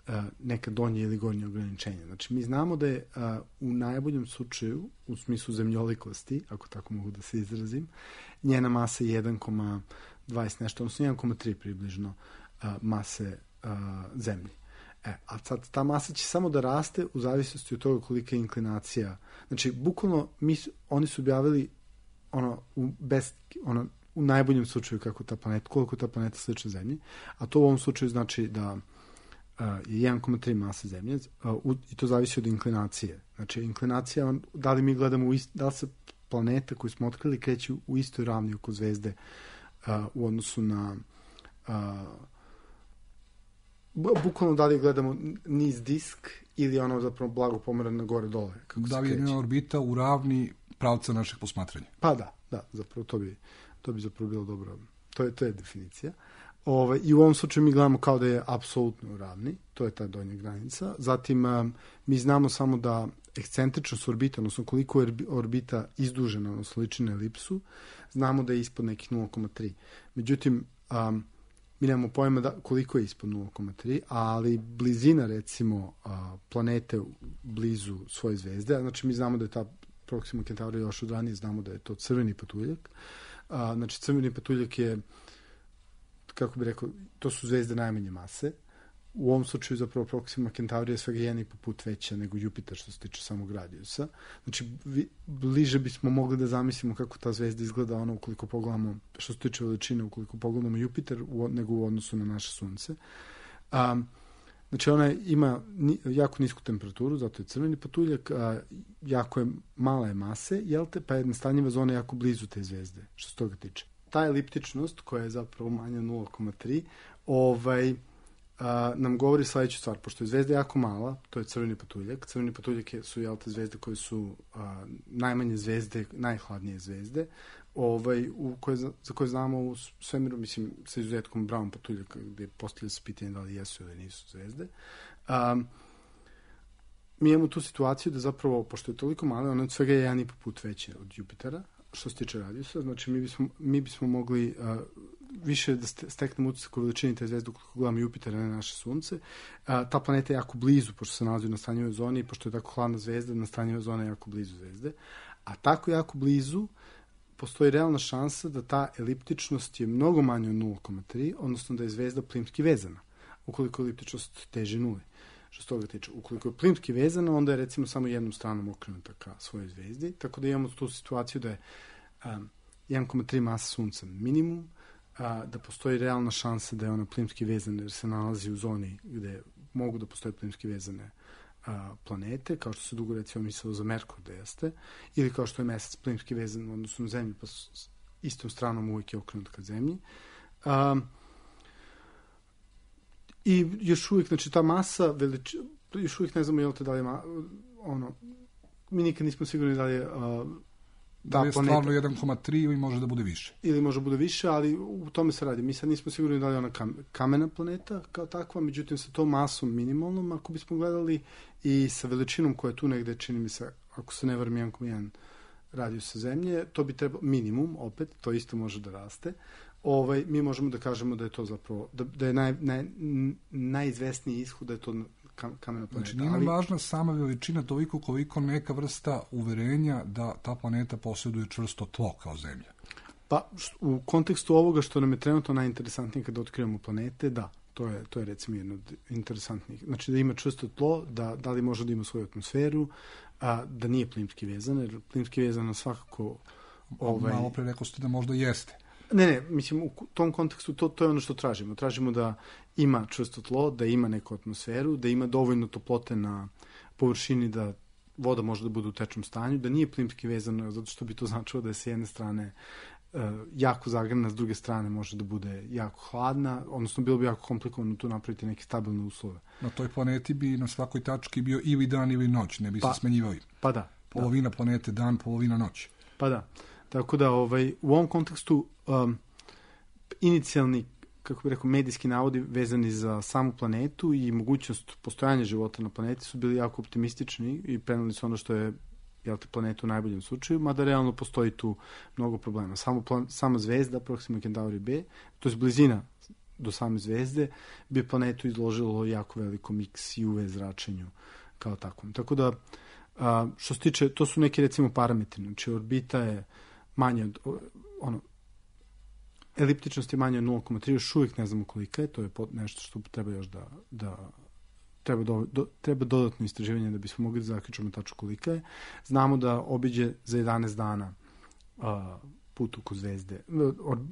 a, neka donje ili gornje ograničenja. Znači, mi znamo da je a, u najboljem slučaju, u smislu zemljolikosti, ako tako mogu da se izrazim, njena masa je jedan zarez dvadeset nešto, odnosno jedan zarez tri približno a, mase a, Zemlje. E, a sad ta masa će samo da raste u zavisnosti od toga kolika je inklinacija. Znači, bukvalno, mi, oni su objavili ono, u, best, ono, u najboljem slučaju kako ta planeta, koliko ta planeta slična Zemlji, a to u ovom slučaju znači da Uh, je jedan zarez tri mase Zemlje uh, u, i to zavisi od inklinacije. Znači, inklinacija, da li mi gledamo, u ist, da li se planeta koju smo otkrili kreće u istoj ravni oko zvezde uh, u odnosu na uh, bukvalno da li gledamo niz disk ili ono zapravo blago pomera na gore dole. Kako da li je njena orbita u ravni pravca našeg posmatranja? Pa da, da, zapravo to bi, to bi zapravo bilo dobro. To je, to je definicija. Ove, I u ovom slučaju mi gledamo kao da je apsolutno u ravni, to je ta donja granica. Zatim, um, mi znamo samo da ekscentričnost orbita, odnosno koliko je orbita izdužena, odnosno liči na elipsu, znamo da je ispod nekih nula zarez tri. Međutim, um, mi nemamo pojma da, koliko je ispod nula zarez tri, ali blizina, recimo, uh, planete blizu svoje zvezde, znači mi znamo da je ta Proxima Centauri još od ranije, znamo da je to crveni patuljak. Uh, znači, crveni patuljak je, kako bih rekao, to su zvezde najmanje mase. U ovom slučaju zapravo Proxima Centauri je svega jedan i po put veća nego Jupiter što se tiče samog radijusa. Znači, vi, bliže bismo mogli da zamislimo kako ta zvezda izgleda ono ukoliko pogledamo, što se tiče veličine, ukoliko pogledamo Jupiter u, nego u odnosu na naše sunce. Um, znači, ona ima ni, jako nisku temperaturu, zato je crveni patuljak, a, jako je mala je mase, jel te, pa jedna stanjiva zona jako blizu te zvezde, što se toga tiče. Ta eliptičnost, koja je zapravo manja nula zarez tri, ovaj, a, nam govori sledeću stvar. Pošto je zvezda jako mala, to je crveni patuljak. Crveni patuljak su jel te zvezde koje su a, najmanje zvezde, najhladnije zvezde, ovaj, u koje, za koje znamo u svemiru, mislim, sa izuzetkom Brown patuljaka, gde postavlja se pitanje da li jesu ili nisu zvezde. A, mi imamo tu situaciju da zapravo, pošto je toliko mala, ona od svega je jedan i po put veća od Jupitera, što se tiče radijusa, znači mi bismo, mi bismo mogli uh, više da steknemo utisak o veličini te zvezde ukoliko gledamo Jupiter, a ne naše sunce. A, ta planeta je jako blizu, pošto se nalazi na stanjivoj zoni, pošto je tako hladna zvezda, na stanjivoj zoni je jako blizu zvezde. A tako jako blizu postoji realna šansa da ta eliptičnost je mnogo manja od nula zarez tri, odnosno da je zvezda plimski vezana, ukoliko eliptičnost teže nuli. Što se toga tiče. Ukoliko je plimski vezana, onda je recimo samo jednom stranom okrenuta ka svojoj zvezdi, tako da imamo tu situaciju da je um, jedan zarez tri masa sunca minimum, a, da postoji realna šansa da je ona plimski vezana jer se nalazi u zoni gde mogu da postoje plimski vezane a, planete, kao što se dugo recimo mislilo za Merkur da jeste, ili kao što je mesec plimski vezan u odnosu na zemlju, pa s istom stranom uvijek je okrenut ka zemlji. A, I još uvijek, znači ta masa, velič, još uvijek ne znamo jel te da li je, ma, ono, mi nikad nismo sigurni da li je a, da je stvarno jedan zarez tri ili može da bude više. Ili može da bude više, ali u tome se radi. Mi sad nismo sigurni da li je ona kamena planeta kao takva, međutim sa tom masom minimalnom, ako bismo gledali, i sa veličinom koja je tu negde, čini mi se, ako se ne varam jedan zarez jedan radijus sa zemlje, to bi trebalo minimum, opet, to isto može da raste. Ovaj, mi možemo da kažemo da je to zapravo, da, da je naj, naj, najizvesniji ishod da je to kamena planeta. Znači, nije nam važna sama veličina toliko koliko neka vrsta uverenja da ta planeta posjeduje čvrsto tlo kao zemlja. Pa, u kontekstu ovoga što nam je trenutno najinteresantnije kada otkrivamo planete, da, to je, to je recimo jedno od interesantnih. Znači, da ima čvrsto tlo, da, da li može da ima svoju atmosferu, a, da nije plimski vezan, jer plimski vezan svakako... Ovaj... Malo pre rekao ste da možda jeste. Ne, ne, mislim, u tom kontekstu to, to je ono što tražimo. Tražimo da ima čvrsto tlo, da ima neku atmosferu, da ima dovoljno toplote na površini da voda može da bude u tečnom stanju, da nije plimski vezano, zato što bi to značilo da je s jedne strane uh, jako zagrana, s druge strane može da bude jako hladna, odnosno bilo bi jako komplikovano tu napraviti neke stabilne uslove. Na toj planeti bi na svakoj tački bio ili dan ili noć, ne bi pa, se smenjivali. Pa da. Polovina da. planete dan, polovina noć. Pa da. Tako da ovaj, u ovom kontekstu um, inicijalni, kako bih rekao, medijski navodi vezani za samu planetu i mogućnost postojanja života na planeti su bili jako optimistični i preneli su ono što je jel te, planeta u najboljem slučaju, mada realno postoji tu mnogo problema. Samo plan, sama zvezda, Proxima Centauri B, to je blizina do same zvezde, bi planetu izložilo jako velikom X i U V zračenju kao takvom. Tako da, a, što se tiče, to su neki recimo parametri, znači orbita je manje od, ono, eliptičnost je manje od nula zarez tri, još uvijek ne znamo kolika je, to je nešto što treba još da, da treba, do, do, treba dodatno istraživanje da bismo mogli da zaključimo tačno kolika je. Znamo da obiđe za jedanaest dana a, put oko zvezde,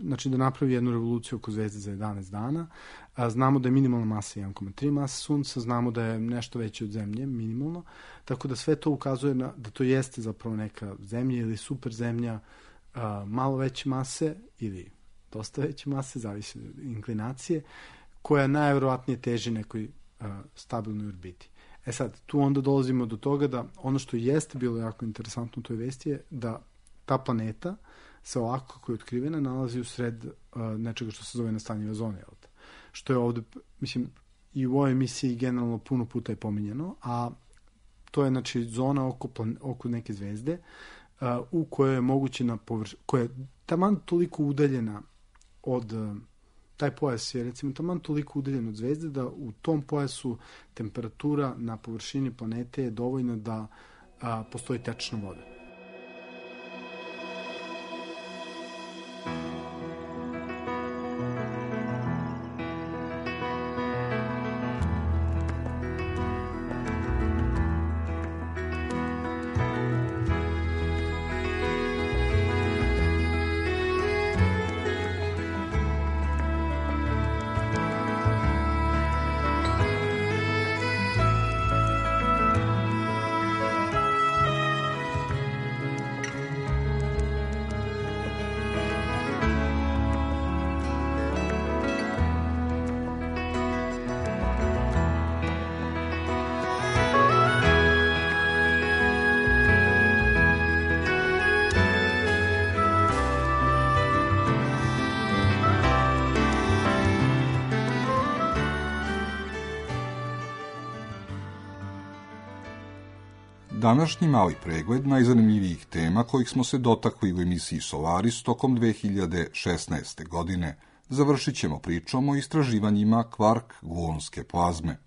znači da napravi jednu revoluciju oko zvezde za jedanaest dana. A, znamo da je minimalna masa jedan zarez tri masa sunca, znamo da je nešto veće od zemlje, minimalno, tako da sve to ukazuje na, da to jeste zapravo neka zemlja ili super zemlja, a, malo veće mase ili dosta veće mase, zavisi od inklinacije, koja najverovatnije teži nekoj a, stabilnoj orbiti. E sad, tu onda dolazimo do toga da ono što jeste bilo jako interesantno u toj vesti je da ta planeta se ovako kako je otkrivena nalazi u sred uh, nečega što se zove nastanjiva zona. Što je ovde, mislim, i u ovoj emisiji generalno puno puta je pominjeno, a to je znači zona oko, plan, oko neke zvezde uh, u kojoj je moguće na površini, koja je taman toliko udaljena od, uh, taj pojas je recimo taman toliko udaljen od zvezde da u tom pojasu temperatura na površini planete je dovoljna da uh, postoji tečna voda. Današnji mali pregled najzanimljivijih tema kojih smo se dotakli u emisiji Solaris tokom dve hiljade šesnaeste godine završit ćemo pričom o istraživanjima kvark-gluonske plazme.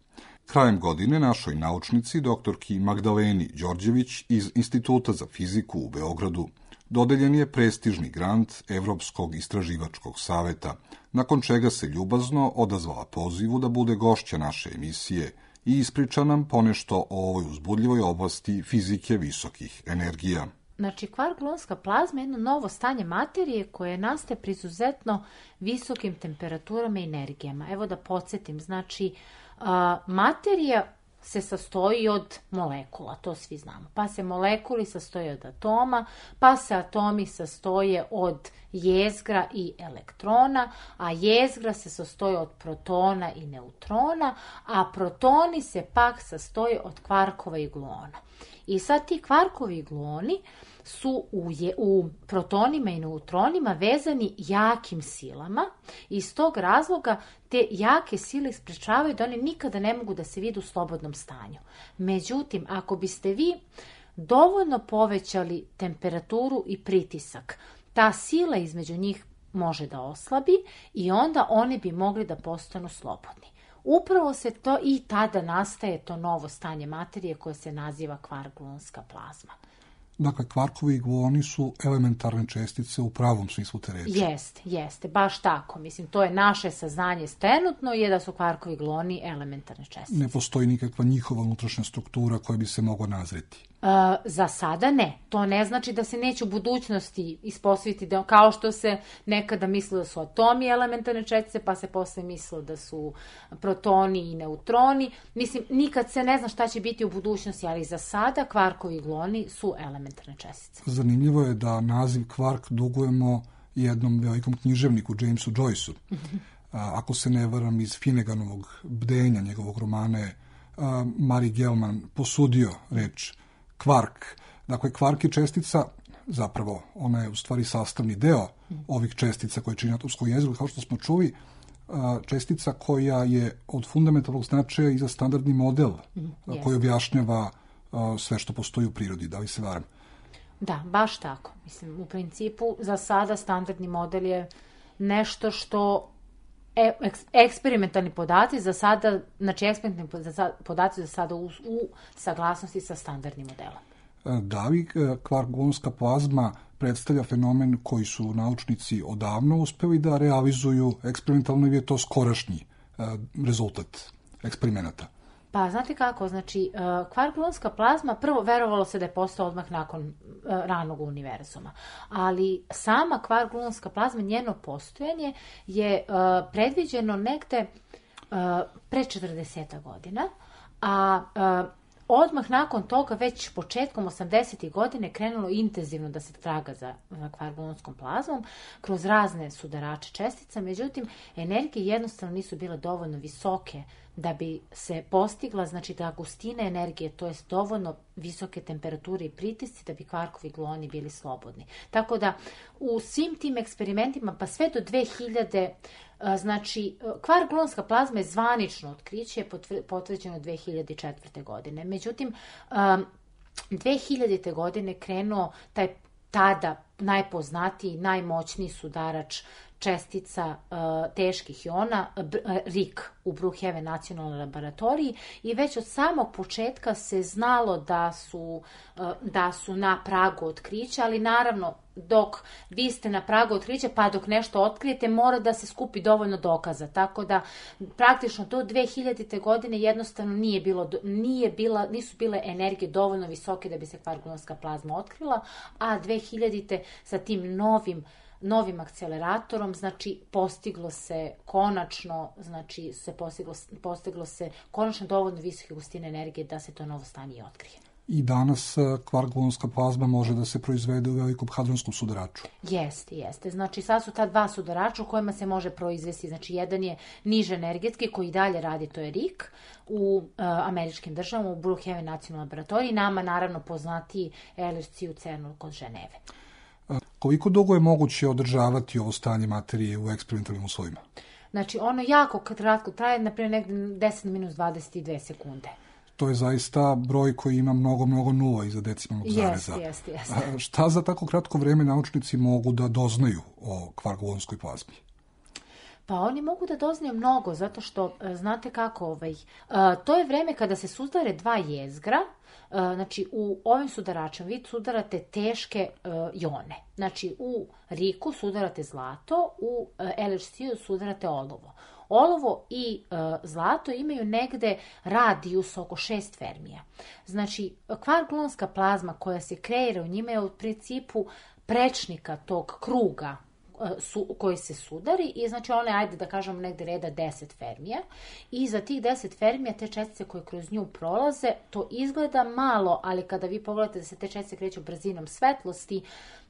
Krajem godine našoj naučnici, doktorki Magdaleni Đorđević iz Instituta za fiziku u Beogradu, dodeljen je prestižni grant Evropskog istraživačkog saveta, nakon čega se ljubazno odazvala pozivu da bude gošća naše emisije i ispriča nam ponešto o ovoj uzbudljivoj oblasti fizike visokih energija. Znači, kvark-gluonska plazma je jedno novo stanje materije koje nastaje pri izuzetno visokim temperaturama i energijama. Evo da podsjetim, znači, a, materija se sastoji od molekula, to svi znamo. Pa se molekuli sastoje od atoma, pa se atomi sastoje od jezgra i elektrona, a jezgra se sastoje od protona i neutrona, a protoni se pak sastoje od kvarkova i gluona. I sad ti kvarkovi i gluoni su u, je, u protonima i neutronima vezani jakim silama i iz tog razloga te jake sile sprečavaju da oni nikada ne mogu da se vide u slobodnom stanju. Međutim, ako biste vi dovoljno povećali temperaturu i pritisak, ta sila između njih može da oslabi i onda oni bi mogli da postanu slobodni. Upravo se to i tada nastaje to novo stanje materije koje se naziva kvark-gluonska plazma. Dakle, kvarkovi i gluoni su elementarne čestice u pravom smislu te reči. Jeste, jeste, baš tako. Mislim, to je naše saznanje trenutno je da su kvarkovi i gluoni elementarne čestice. Ne postoji nikakva njihova unutrašnja struktura koja bi se mogla nazreti. Uh, za sada ne. To ne znači da se neće u budućnosti ispostaviti da, kao što se nekada mislilo da su atomi elementarne čestice, pa se posle mislilo da su protoni i neutroni. Mislim, nikad se ne zna šta će biti u budućnosti, ali za sada kvarkovi i gluoni su elementarne čestice. Zanimljivo je da naziv kvark dugujemo jednom velikom književniku, Jamesu Joyceu. Ako se ne varam, iz Finneganovog bdenja, njegovog romana je Mari Gelman posudio reč kvark. Dakle, kvark je čestica, zapravo ona je u stvari sastavni deo ovih čestica koje čini atomsko jezgro, kao što smo čuli, čestica koja je od fundamentalnog značaja i za standardni model mm, koji objašnjava sve što postoji u prirodi. Da li se varam? Da, baš tako. Mislim, u principu, za sada standardni model je nešto što e, eks, eksperimentalni podaci za sada, znači eksperimentalni podaci za sada u, u saglasnosti sa standardnim modelom. Da li kvark-gluonska plazma predstavlja fenomen koji su naučnici odavno uspeli da realizuju eksperimentalno ili je to skorašnji rezultat eksperimenata? Pa, znate kako, znači, kvark-gluonska plazma, prvo verovalo se da je postao odmah nakon ranog univerzuma, ali sama kvark-gluonska plazma, njeno postojanje je predviđeno negde pre četrdeset godina, a odmah nakon toga, već početkom osamdesetih godine, krenulo intenzivno da se traga za, za kvark-gluonskom plazmom kroz razne sudarače čestica, međutim, energije jednostavno nisu bile dovoljno visoke da bi se postigla, znači da gustina energije, to je dovoljno visoke temperature i pritisci da bi kvarkovi i gluoni bili slobodni. Tako da u svim tim eksperimentima, pa sve do dve hiljade, znači kvark-gluonska plazma je zvanično otkriće, potvrđeno dve hiljade četvrte. godine. Međutim, dve hiljadite. godine krenuo taj tada najpoznatiji, najmoćniji sudarač čestica uh, teških iona, R I K u Brookhaven nacionalnoj laboratoriji i već od samog početka se znalo da su, uh, da su na pragu otkrića, ali naravno dok vi ste na pragu otkrića, pa dok nešto otkrijete, mora da se skupi dovoljno dokaza. Tako da praktično do dve hiljadite. godine jednostavno nije bilo, nije bila, nisu bile energije dovoljno visoke da bi se kvark-gluonska plazma otkrila, a dve hiljadite. sa tim novim novim akceleratorom, znači postiglo se konačno, znači se postiglo, postiglo se konačno dovoljno visoke gustine energije da se to novo stanje i otkrije. I danas kvark-gluonska plazma može da se proizvede u velikom hadronskom sudaraču. Jeste, jeste. Znači sad su ta dva sudarača u kojima se može proizvesti. Znači jedan je niže energetski koji dalje radi, to je R I K u uh, američkim državama, u Brookhaven nacionalnoj laboratoriji, nama naravno poznatiji L H C u CERN-u kod Ženeve. Koliko dugo je moguće održavati ovo stanje materije u eksperimentalnim uslovima? Znači, ono jako kratko traje, naprimjer, negde deset minus dvadeset dve sekunde. To je zaista broj koji ima mnogo, mnogo nula iza decimalnog zareza. Jeste, jeste, jeste. Šta za tako kratko vreme naučnici mogu da doznaju o kvark-gluonskoj plazmi? Pa oni mogu da doznaju mnogo, zato što, znate kako, ovaj, to je vreme kada se sudare dva jezgra. Znači, u ovim sudaračima vi sudarate teške jone. Znači, u riku sudarate zlato, u el hač ce-u sudarate olovo. Olovo i e, zlato imaju negde radijus oko šest fermija. Znači, kvark-gluonska plazma koja se kreira u njima je u principu prečnika tog kruga su, koji se sudari i znači one, ajde da kažemo negde reda deset fermija i za tih deset fermija te čestice koje kroz nju prolaze, to izgleda malo, ali kada vi pogledate da se te čestice kreću brzinom svetlosti,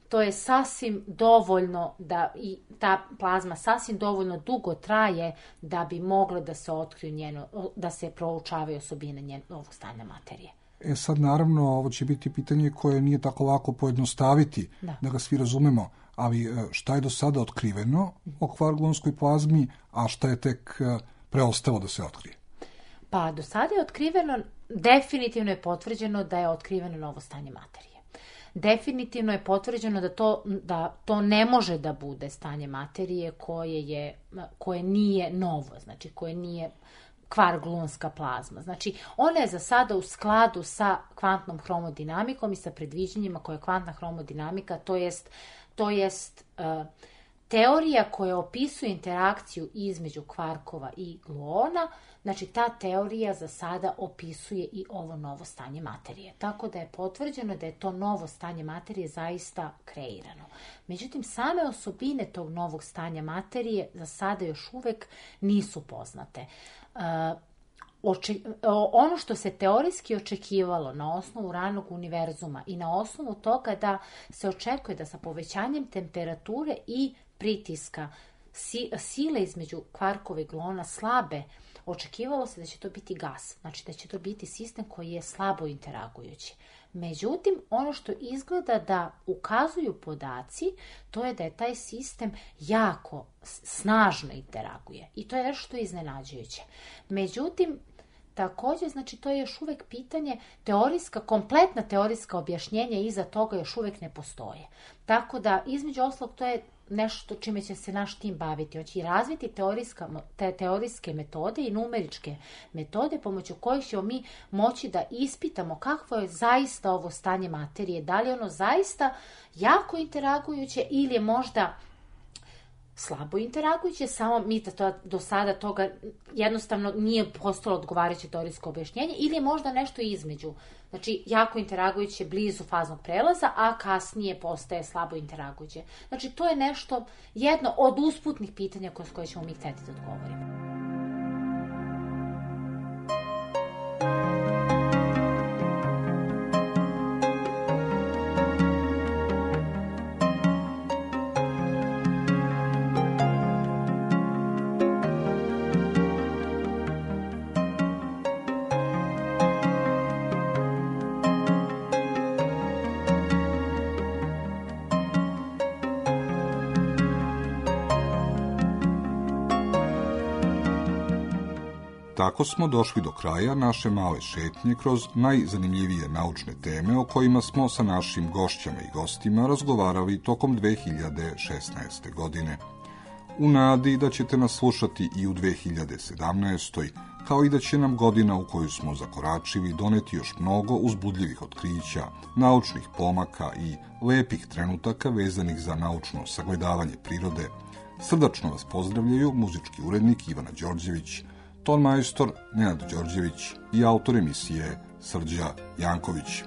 to je sasvim dovoljno da i ta plazma sasvim dovoljno dugo traje da bi mogle da se otkriju njeno, da se proučavaju osobine njenog stanja materije. E sad, naravno, ovo će biti pitanje koje nije tako lako pojednostaviti, da, da ga svi razumemo, ali šta je do sada otkriveno o kvark-gluonskoj plazmi, a šta je tek preostalo da se otkrije? Pa, do sada je otkriveno, definitivno je potvrđeno da je otkriveno novo stanje materije. Definitivno je potvrđeno da to, da to ne može da bude stanje materije koje, je, koje nije novo, znači koje nije kvark-gluonska plazma. Znači, ona je za sada u skladu sa kvantnom hromodinamikom i sa predviđanjima koje je kvantna hromodinamika, to jest, to jest uh, teorija koja opisuje interakciju između kvarkova i gluona. Znači, ta teorija za sada opisuje i ovo novo stanje materije. Tako da je potvrđeno da je to novo stanje materije zaista kreirano. Međutim, same osobine tog novog stanja materije za sada još uvek nisu poznate. Uh, oče, ono što se teorijski očekivalo na osnovu ranog univerzuma i na osnovu toga da se očekuje da sa povećanjem temperature i pritiska si, sile između kvarkova i gluona slabe, očekivalo se da će to biti gas, znači da će to biti sistem koji je slabo interagujući. Međutim, ono što izgleda da ukazuju podaci, to je da je taj sistem jako snažno interaguje i to je nešto što je iznenađujuće. Međutim, također, znači to je još uvek pitanje, teorijska, kompletna teorijska objašnjenja iza toga još uvek ne postoje. Tako da, između oslog, to je nešto čime će se naš tim baviti. On će razviti teorijska, te, teorijske metode i numeričke metode pomoću kojih ćemo mi moći da ispitamo kakvo je zaista ovo stanje materije. Da li je ono zaista jako interagujuće ili je možda slabo interagujuće, samo mi da to, do sada toga jednostavno nije postalo odgovarajuće teorijsko objašnjenje ili je možda nešto između. Znači, jako interagujuće blizu faznog prelaza, a kasnije postaje slabo interagujuće. Znači, to je nešto, jedno od usputnih pitanja kroz koje ćemo mi hteti da odgovorimo. Tako smo došli do kraja naše male šetnje kroz najzanimljivije naučne teme o kojima smo sa našim gošćama i gostima razgovarali tokom dve hiljade šesnaeste. godine. U nadi da ćete nas slušati i u dve hiljade sedamnaestoj. kao i da će nam godina u koju smo zakoračili doneti još mnogo uzbudljivih otkrića, naučnih pomaka i lepih trenutaka vezanih za naučno sagledavanje prirode. Srdačno vas pozdravljaju muzički urednik Ivana Đorđević, ton majstor Nenad Đorđević i autor emisije Srđa Janković.